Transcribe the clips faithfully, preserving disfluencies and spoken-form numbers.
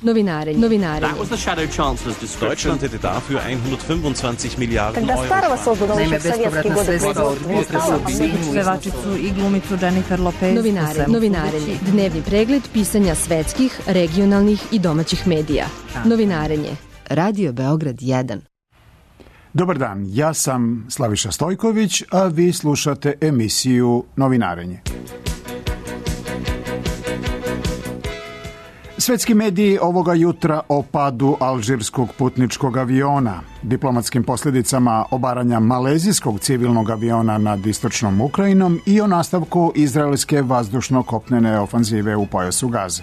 Novinarenje. Novinarenje. That was the Shadow Chancellor's description. Deutschland hätte dafür hundertfünfundzwanzig Miliarden Когда Euro. Starova создана еще в советские годы Pevačicu i glumicu Jennifer Lopez. Novinarenje. Novinarenje. Dnevni pregled pisanja svetskih, regionalnih i domaćih medija. Novinarenje. Radio Beograd jedan. Dobar dan, ja sam Slaviša Stojković, a vi slušate emisiju Novinarenje. Svetski mediji ovoga jutra o padu alžirskog putničkog aviona, diplomatskim posljedicama obaranja malezijskog civilnog aviona nad istočnom Ukrajinom i o nastavku izraelske vazdušno-kopnene ofanzive u pojasu Gaze.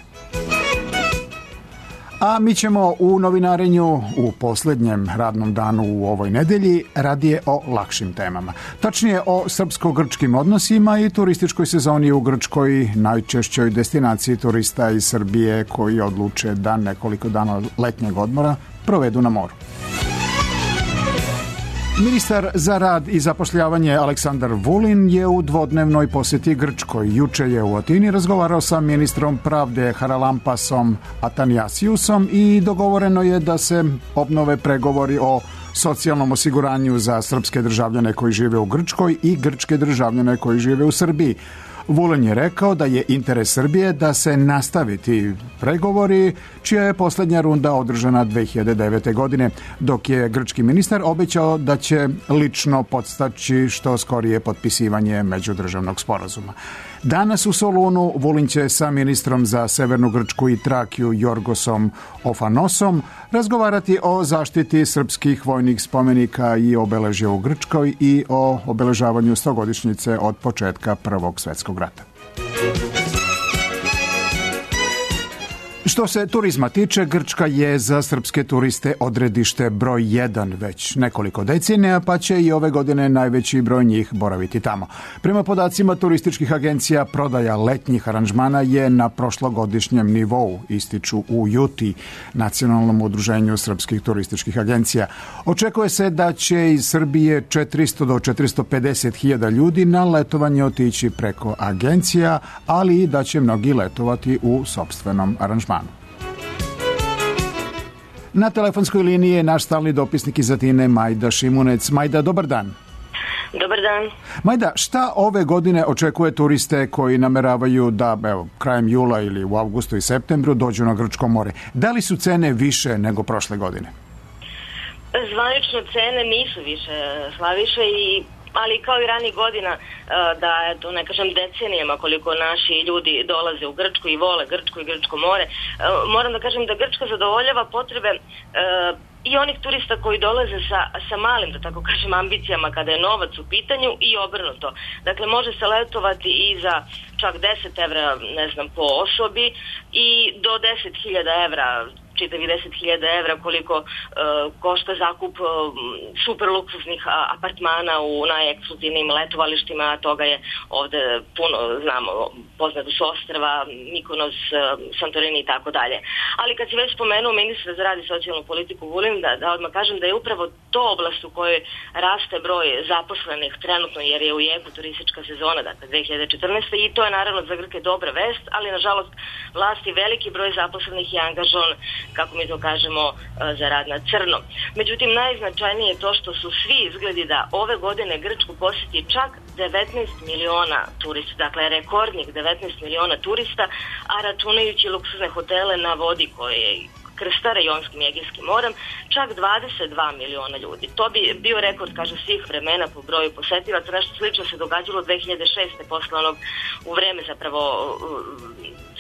A mi ćemo u novinarenju u posljednjem radnom danu u ovoj nedelji radije o lakšim temama. Tačnije o srpsko-grčkim odnosima i turističkoj sezoni u Grčkoj, najčešćoj destinaciji turista iz Srbije koji odluče da nekoliko dana letnjeg odmora provedu na moru. Ministar za rad i zapošljavanje Aleksandar Vulin je u dvodnevnoj posjeti Grčkoj. Juče je u Atini razgovarao sa ministrom pravde Haralampasom Atanasiusom i dogovoreno je da se obnove pregovori o socijalnom osiguranju za srpske državljane koji žive u Grčkoj i grčke državljane koji žive u Srbiji. Vulin je rekao da je interes Srbije da se nastaviti pregovori, čija je posljednja runda održana dve hiljade devete. godine, dok je grčki ministar obećao da će lično podstaći što skorije potpisivanje međudržavnog sporazuma. Danas u Solunu Vulin će sa ministrom za Severnu Grčku i Trakiju Jorgosom Ofanosom razgovarati o zaštiti srpskih vojnih spomenika i obeležja u Grčkoj i o obeležavanju stogodišnjice od početka Prvog svjetskog rata. Što se turizma tiče, Grčka je za srpske turiste odredište broj jedan već nekoliko decenija, pa će i ove godine najveći broj njih boraviti tamo. Prema podacima turističkih agencija, prodaja letnjih aranžmana je na prošlogodišnjem nivou, ističu u Juti, Nacionalnom udruženju srpskih turističkih agencija. Očekuje se da će iz Srbije četiristo do četiristo pedeset hiljada ljudi na letovanje otići preko agencija, ali i da će mnogi letovati u sopstvenom aranžmanu. Na telefonskoj liniji je naš stalni dopisnik iz Atine, Majda Šimunec. Majda, dobar dan. Dobar dan. Majda, šta ove godine očekuje turiste koji nameravaju da evo, krajem jula ili u avgustu i septembru dođu na Grčko more? Da li su cene više nego prošle godine? Zvanično cene nisu više, Slaviše, i ali kao i ranih godina, da eto, ne kažem decenijama koliko naši ljudi dolaze u Grčku i vole Grčku i Grčko more, moram da kažem da Grčka zadovoljava potrebe i onih turista koji dolaze sa, sa malim, da tako kažem, ambicijama kada je novac u pitanju i obrnuto. Dakle, može se letovati i za čak deset evra, ne znam, po osobi i do deset hiljada evra, čitavi deset hiljada evra koliko uh, košta zakup uh, super luksuznih uh, apartmana u najekskluzivnim letovalištima, a toga je ovde puno, znamo, poznato su Ostrva, Mikonos, uh, Santorini i tako dalje. Ali kad si već spomenuo ministra za rad i socijalnu politiku Vulin, da, da odmah kažem da je upravo to oblast u kojoj raste broj zaposlenih trenutno, jer je u jeku turistička sezona, dakle dve hiljade četrnaeste. i to je naravno za Grke dobra vest, ali nažalost vlasti veliki broj zaposlenih je angažovan, kako mi to kažemo, za rad na crno. Međutim, najznačajnije je to što su svi izgledi da ove godine Grčku posjeti čak devetnaest miliona turista, dakle rekordnih devetnaest miliona turista, a računajući luksuzne hotele na vodi koje krstare Jonskim i Egejskim morem, čak dvadeset dva miliona ljudi. To bi bio rekord, kaže, svih vremena po broju posetilaca. Nešto slično se događalo dve hiljade šeste. posle onog, u vreme zapravo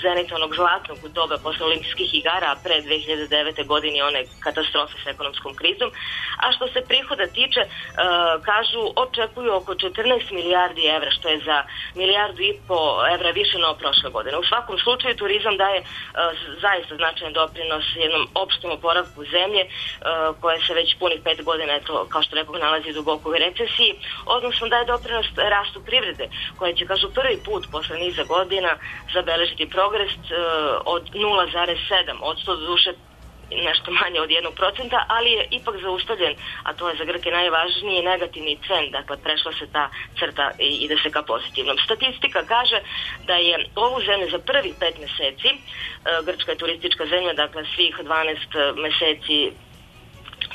zenita onog zlatnog doba posle olimpijskih igara, a pre dve hiljade devete. godine one katastrofe s ekonomskom krizom. A što se prihoda tiče, uh, kažu, očekuju oko četrnaest milijardi evra, što je za milijardu i po evra više no prošle godine. U svakom slučaju turizam daje uh, zaista značajan doprinos jednom opštem oporavku zemlje, uh, koja se već punih pet godina, eto, kao što rekao, nalazi duboko u recesiji, odnosno daje doprinos rastu privrede, koja će, kažu, prvi put posle niza godina zabeležiti progres uh, od nula zarez sedam odsto, do duše nešto manje od jednog procenta, ali je ipak zaustavljen, a to je za Grke najvažniji negativni trend, dakle prešla se ta crta i ide se ka pozitivnom. Statistika kaže da je ovu zemlju za prvih pet meseci, Grčka je turistička zemlja, dakle svih dvanaest meseci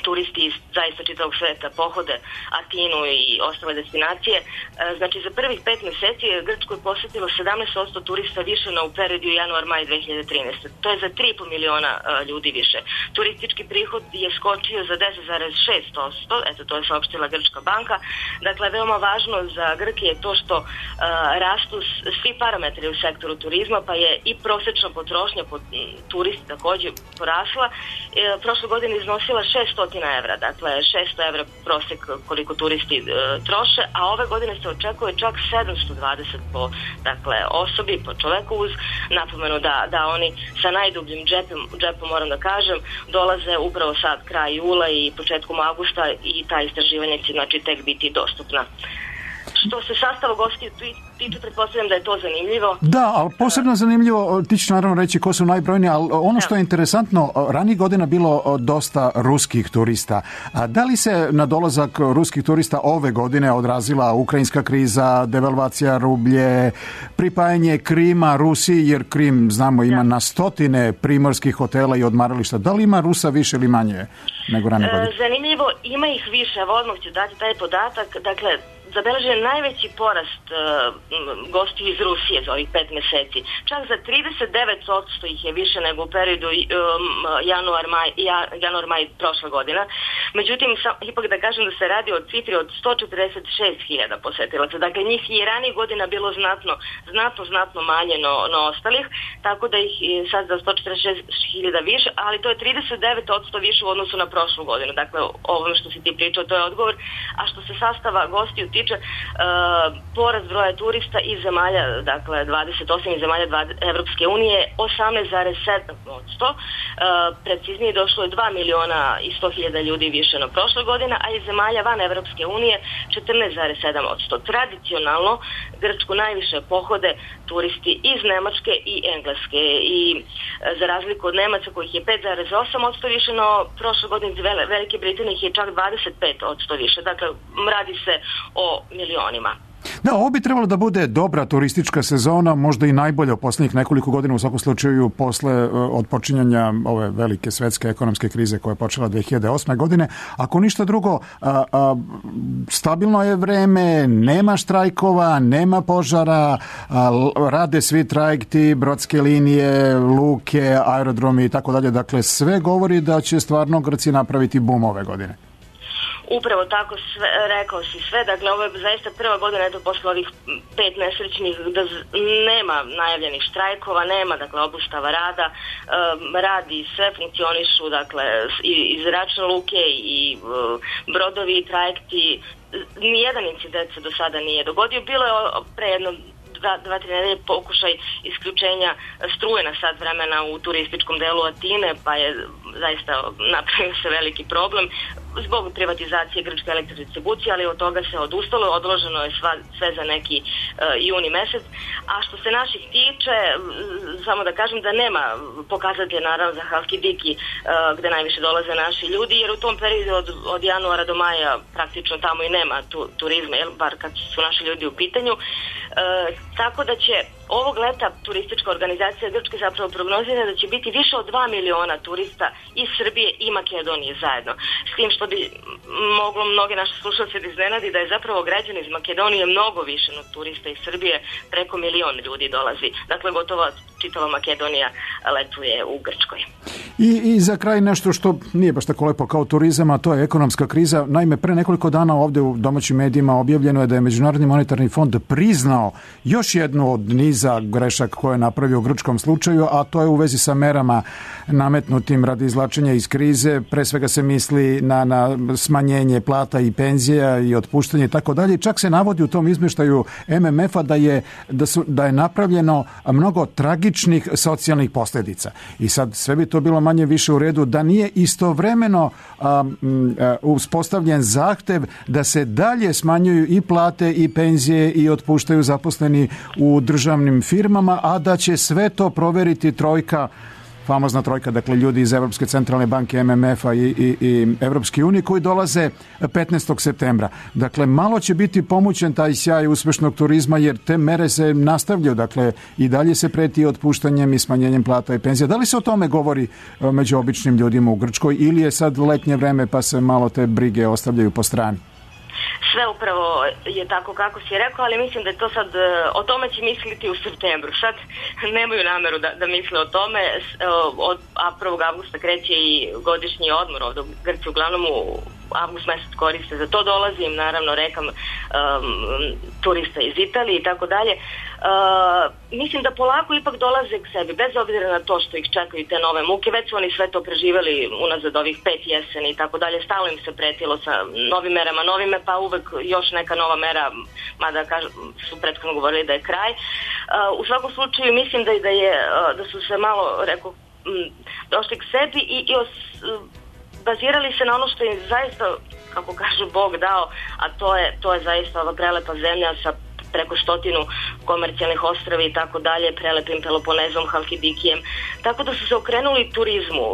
turisti iz zaista čitavog sveta pohode Atinu i ostale destinacije. Znači za prvih pet meseci Grčku je posjetilo sedamnaest posto turista više na u periodu januar-maj dve hiljade trinaeste. To je za tri i po miliona ljudi više. Turistički prihod je skočio za deset zarez šest posto, eto to je saopštila Grčka banka. Dakle, veoma važno za Grke je to što uh, rastu svi parametri u sektoru turizma, pa je i prosečna potrošnja po turisti također porasla. E, prošle godine iznosila šeststo evra, dakle šesto evra prosek koliko turisti e, troše, a ove godine se očekuje čak sedamsto dvadeset po dakle, osobi, po čoveku, uz napomenu da, da oni sa najdubljim džepom, džepom, moram da kažem, dolaze upravo sad kraj jula i početkom avgusta i ta istraživanja će znači tek biti dostupna. Što se sastava gostiju tiče, pretpostavljam da je to zanimljivo. Da, ali posebno zanimljivo, ti ćeš naravno reći ko su najbrojniji, ali ono što je interesantno, ranijih godina bilo dosta ruskih turista. A da li se na dolazak ruskih turista ove godine odrazila ukrajinska kriza, devalvacija rublje, pripajanje Krima Rusiji, jer Krim, znamo, ima na stotine primorskih hotela i odmarališta. Da li ima Rusa više ili manje nego ranije godine? Zanimljivo, ima ih više, evo odmah ću dati taj podatak. Dakle, zabeležen je najveći porast uh, gostiju iz Rusije za ovih pet meseci. Čak za trideset devet posto ih je više nego u periodu um, januar-maj ja, januar-maj prošle godina. Međutim, sam, ipak da kažem da se radi o cifri od sto četrdeset šest hiljada posetilaca. Dakle, njih je ranijih godina bilo znatno, znatno, znatno manje no, no ostalih, tako da ih je sad za sto četrdeset šest hiljada više, ali to je trideset devet posto više u odnosu na prošlu godinu. Dakle, ovome što si ti pričao, to je odgovor. A što se sastava gostiju tiče, Uh, porast broja turista iz zemalja, dakle dvadeset osam iz zemalja Evropske unije, osamnaest zarez sedam posto. Uh, preciznije došlo je dva miliona i sto hiljada ljudi više na prošle godine, a iz zemalja van Evropske unije četrnaest zarez sedam posto. Tradicionalno Grčku najviše pohode turisti iz Nemačke i Engleske i uh, za razliku od Nemaca kojih je pet zarez osam posto više, no prošle godine iz Velike Britanije je čak dvadeset pet posto više. Dakle, radi se o milionima. Da, ovo bi trebalo da bude dobra turistička sezona, možda i najbolja u posljednjih nekoliko godina, u svakom slučaju posle odpočinjanja ove velike svetske ekonomske krize koja je počela dve hiljade osme godine. Ako ništa drugo, a, a, stabilno je vreme, nema štrajkova, nema požara, a, rade svi trajekti, brodske linije, luke, aerodromi i tako dalje. Dakle, sve govori da će stvarno Grci napraviti bum ove godine. Upravo tako, sve, rekao si sve, dakle ovo je zaista prva godina, eto posle ovih pet nesrećnih, da nema najavljenih štrajkova, nema dakle obustava rada, um, radi sve, funkcionišu dakle i, i zračne luke i um, brodovi i trajekti, nijedan incident se do sada nije dogodio, bilo je pre jedno dva, dva tri nedelje pokušaj isključenja struje na sat vremena u turističkom delu Atine, pa je zaista napravio se veliki problem zbog privatizacije grčke elektrodistribucije, ali od toga se odustalo, odloženo je sva, sve za neki uh, juni mesec. A što se naših tiče, samo da kažem da nema pokazatelja naravno za Halkidiki uh, gde najviše dolaze naši ljudi, jer u tom periodu od, od januara do maja praktično tamo i nema tu, turizma, jel, bar kad su naši ljudi u pitanju. Uh, tako da će ovog leta turistička organizacija Grčke zapravo prognozira da će biti više od dva miliona turista iz Srbije i Makedonije zajedno. S tim što bi moglo mnoge naše slušalce da iznenadi da je zapravo građani iz Makedonije mnogo više od turista iz Srbije, preko milion ljudi dolazi. Dakle, gotovo čitava Makedonija letuje u Grčkoj. I, I za kraj nešto što nije baš tako lepo kao turizam, a to je ekonomska kriza. Naime, pre nekoliko dana ovde u domaćim medijima objavljeno je da je Međunarodni monetarni fond priznao još jednu od niza grešaka koje je napravio u grčkom slučaju, a to je u vezi sa merama nametnutim radi izvlačenja iz krize. Pre svega se misli na, na smanjenje plata i penzija i otpuštanje i tako dalje. Čak se navodi u tom izmeštaju M M F-a da je, da su, da je napravljeno mnogo tragičnih socijalnih posljedica. I sad sve bi to bilo manje više u redu da nije istovremeno um, uh, uspostavljen zahtev da se dalje smanjuju i plate i penzije i otpuštaju zaposleni u državnim firmama, a da će sve to proveriti trojka famozna trojka, dakle ljudi iz Evropske centralne banke, M M F-a i, i, i Evropske unije koji dolaze petnaestog septembra. Dakle, malo će biti pomućen taj sjaj uspešnog turizma jer te mere se nastavljaju, dakle i dalje se preti otpuštanjem i smanjenjem plata i penzija. Da li se o tome govori među običnim ljudima u Grčkoj ili je sad letnje vreme pa se malo te brige ostavljaju po strani? Sve upravo je tako kako si rekao, ali mislim da je to sad, o tome će misliti u septembru. Sad nemaju nameru da, da misle o tome. Od prvog avgusta kreće i godišnji odmor ovdje u Grci, uglavnom u avgust mesec koriste za to, dolazim naravno rekam um, turista iz Italije i tako dalje. Mislim da polako ipak dolaze k sebi, bez obzira na to što ih čekaju te nove muke, već su oni sve to preživeli unazad ovih pet jeseni i tako dalje, stalno im se pretilo sa novim merama, novime, pa uvek još neka nova mera, mada kažu, su prethodno govorili da je kraj. Uh, u svakom slučaju mislim da, da, je, da su se malo, rekao, došli k sebi i, i os, bazirali se na ono što im zaista, kako kažu, Bog dao, a to je, to je zaista ova prelepa zemlja sa preko stotinu komercijalnih ostrava i tako dalje, prelepim Peloponezom, Halkidikijem, tako da su se okrenuli turizmu.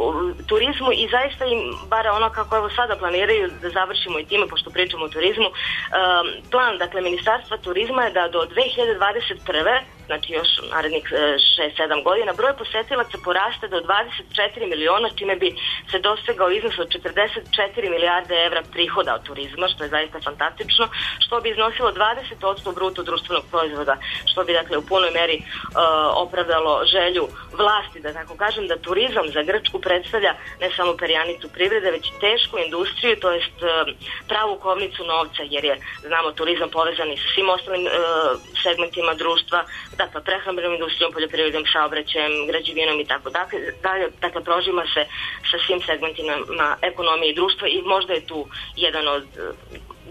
Turizmu i zaista im, bar ono kako evo sada planiraju, da završimo i time, pošto pričamo o turizmu, um, plan, dakle, Ministarstva turizma je da do dve hiljade dvadeset prve, znači još narednih šest sedam godina, broj posetilaca poraste do dvadeset četiri miliona, čime bi se dostegao iznos od četrdeset četiri milijarde evra prihoda od turizma, što je zaista fantastično, što bi iznosilo dvadeset posto bruto društvenog proizvoda, što bi dakle u punoj meri uh, opravdalo želju vlasti, da tako kažem, da turizam za Grčku predstavlja ne samo perjanicu privrede, već i tešku industriju, to jest uh, pravu kovnicu novca, jer je, znamo, turizam povezan i sa svim ostalim uh, segmentima društva, dakle prehrambenom industrijom, poljoprivredom, saobraćajem, građevinom i tako dalje. Dakle, prožima se sa svim segmentima ekonomije i društva i možda je tu jedan od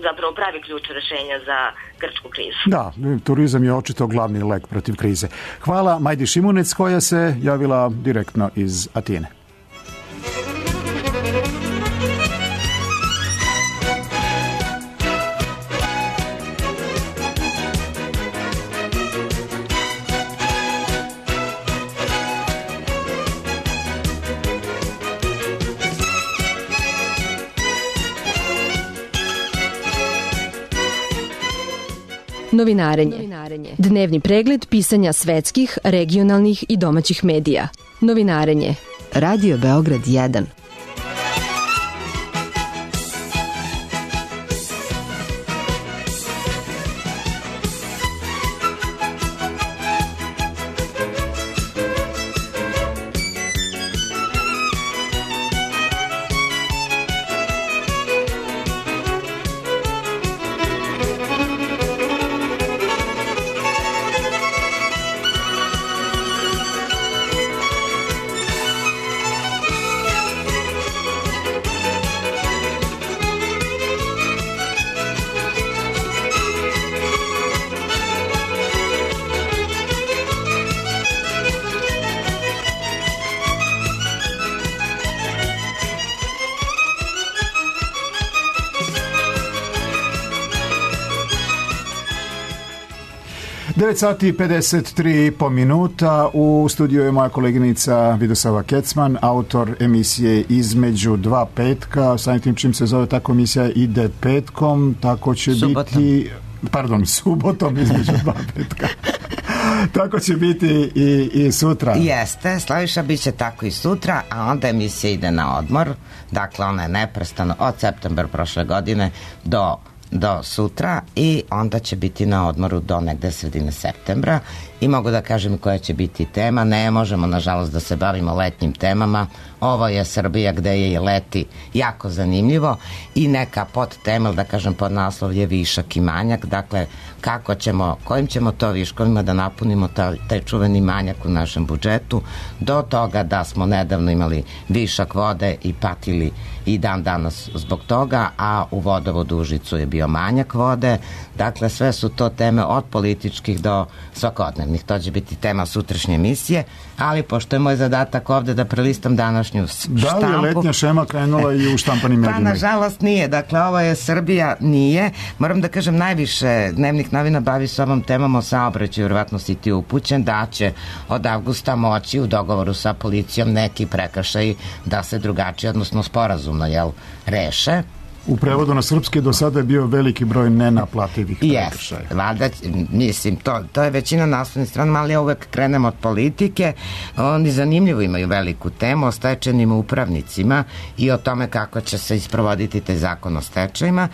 zapravo pravi ključ rešenja za grčku krizu. Da, turizam je očito glavni lek protiv krize. Hvala Majdi Šimunec koja se javila direktno iz Atine. Novinarenje. Dnevni pregled pisanja svetskih, regionalnih i domaćih medija. Novinarenje. Radio Beograd jedan. devet sati i pedeset tri i po minuta. U studiju je moja koleginica Vidosava Kecman, autor emisije Između dva petka. Samim tim čim se zove tako emisija ide petkom, tako će subotom. biti... Pardon, subotom između dva petka. Tako će biti i, i sutra. Jeste, Slaviša, bit će tako i sutra, a onda emisija ide na odmor. Dakle, ona je neprestano od septembra prošle godine do do sutra i onda će biti na odmoru do negde sredine septembra i mogu da kažem koja će biti tema. Ne možemo nažalost da se bavimo letnjim temama, ovo je Srbija gde je i leti jako zanimljivo i neka podtema, da kažem podnaslov je višak i manjak, dakle kako ćemo, kojim ćemo to viškovima da napunimo taj, taj čuveni manjak u našem budžetu, do toga da smo nedavno imali višak vode i patili i dan danas zbog toga, a u vodovodu Užicu je bio manjak vode, dakle sve su to teme od političkih do svakodnevnih. regionalnih. To će biti tema sutrašnje emisije, ali pošto je moj zadatak ovde da prelistam današnju štampu... Da li je letnja šema krenula i u štampanim medijima? Pa, nažalost, nije. Dakle, ovo je Srbija, nije. Moram da kažem, najviše dnevnih novina bavi se ovom temom o saobraćaju, vjerovatno si ti upućen, da će od avgusta moći u dogovoru sa policijom neki prekršaj da se drugačije, odnosno sporazumno, jel, reše. U prevodu na srpski do sada je bio veliki broj nenaplativih prekršaja. Yes, valjda, mislim, to, to je većina naslovnih strana, ali ja uvek krenem od politike. Oni zanimljivo imaju veliku temu o stečajnim upravnicima i o tome kako će se isprovoditi taj zakon o stečajima.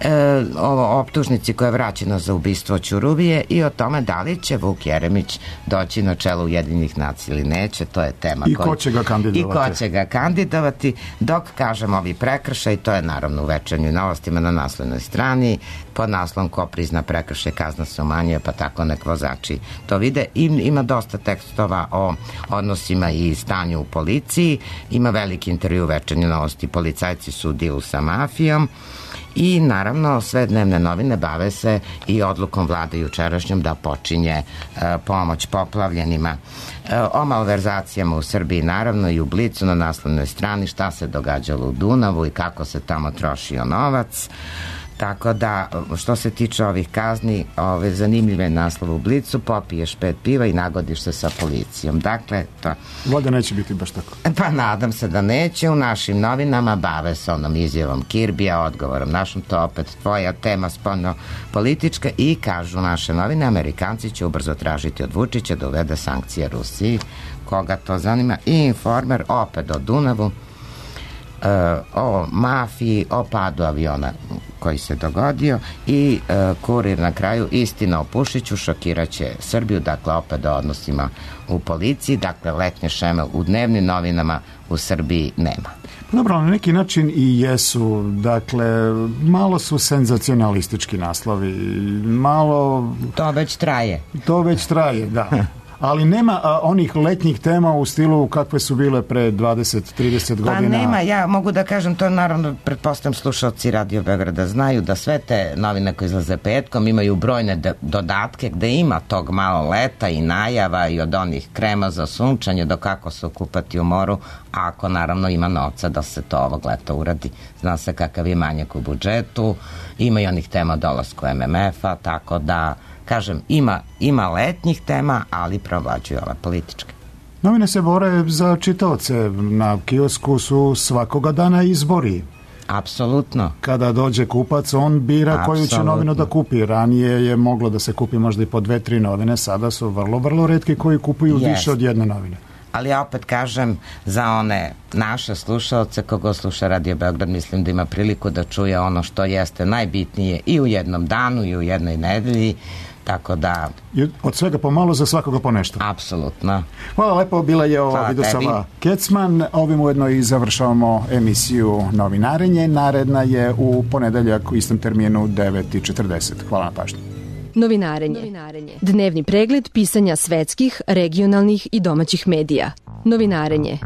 E, o optužnici koja je vraćena za ubistvo Ćuruvije i o tome da li će Vuk Jeremić doći na čelo Ujedinjenih nacija ili neće, to je tema. I ko će ga kandidovati. I ko će ga kandidovati, dok kažem ovi prekršaj, to je naravno u Večernjim novostima na naslovnoj strani, pod naslovom ko prizna prekršaj, kazna se umanjuje, pa tako nek vozači to vide. I, ima dosta tekstova o odnosima i stanju u policiji, ima veliki intervju u Večernjim novosti, policajci su u dilu sa mafijom. I naravno sve dnevne novine bave se i odlukom vlade jučerašnjom da počinje e, pomoć poplavljenima. E, o malverzacijama u Srbiji naravno i u Blicu na naslovnoj strani šta se događalo u Dunavu i kako se tamo trošio novac. Tako da, što se tiče ovih kazni, ove zanimljive naslove u Blicu, popiješ pet piva i nagodiš se sa policijom. Dakle, to... Vlada neće biti baš tako. Pa nadam se da neće. U našim novinama bave se onom izjavom Kirbija, odgovorom našom, to opet tvoja tema spoljno politička, i kažu naše novine, Amerikanci će ubrzo tražiti od Vučića da uvede sankcije Rusiji. Koga to zanima? I Informer opet o Dunavu, Uh, o mafiji, o padu aviona koji se dogodio, i uh, Kurir na kraju, istina o Pušiću šokiraće Srbiju, dakle opet o odnosima u policiji. Dakle, letnje šeme u dnevnim novinama u Srbiji nema. Dobro, na neki način i jesu, dakle, malo su senzacionalistički naslovi, malo... To već traje. To već traje, da. Ali nema a, onih letnjih tema u stilu kakve su bile pre dvadeset trideset godina. Pa nema, ja mogu da kažem, to naravno, pretpostavljam slušalci Radio Beograda znaju da sve te novine koje izlaze petkom imaju brojne de- dodatke gde ima tog malo leta i najava i od onih krema za sunčanje do kako se okupati u moru, ako naravno ima novca da se to ovog leta uradi. Zna se kakav je manjak u budžetu, ima i onih tema o dolasku em em ef-a, tako da kažem, ima, ima letnjih tema, ali provlađuju ove političke. Novine se bore za čitaoce. Na kiosku su svakoga dana izbori. Apsolutno. Kada dođe kupac, on bira Apsolutno. Koju će novinu da kupi. Ranije je moglo da se kupi možda i po dve, tri novine, sada su vrlo, vrlo retki koji kupuju yes. više od jedne novine. Ali ja opet kažem, za one naše slušalce, kogo sluša Radio Beograd, mislim da ima priliku da čuje ono što jeste najbitnije i u jednom danu i u jednoj nedelji, tako da... I od svega pomalo, za svakoga po nešto. Apsolutno. Hvala lepo, bila je ovo Vidosava Kecman. Ovim ujedno i završavamo emisiju Novinarenje. Naredna je u ponedeljak u istom terminu devet i četrdeset. Hvala na pažnju. Novinarenje. Novinarenje. Dnevni pregled pisanja svetskih, regionalnih i domaćih medija. Novinarenje.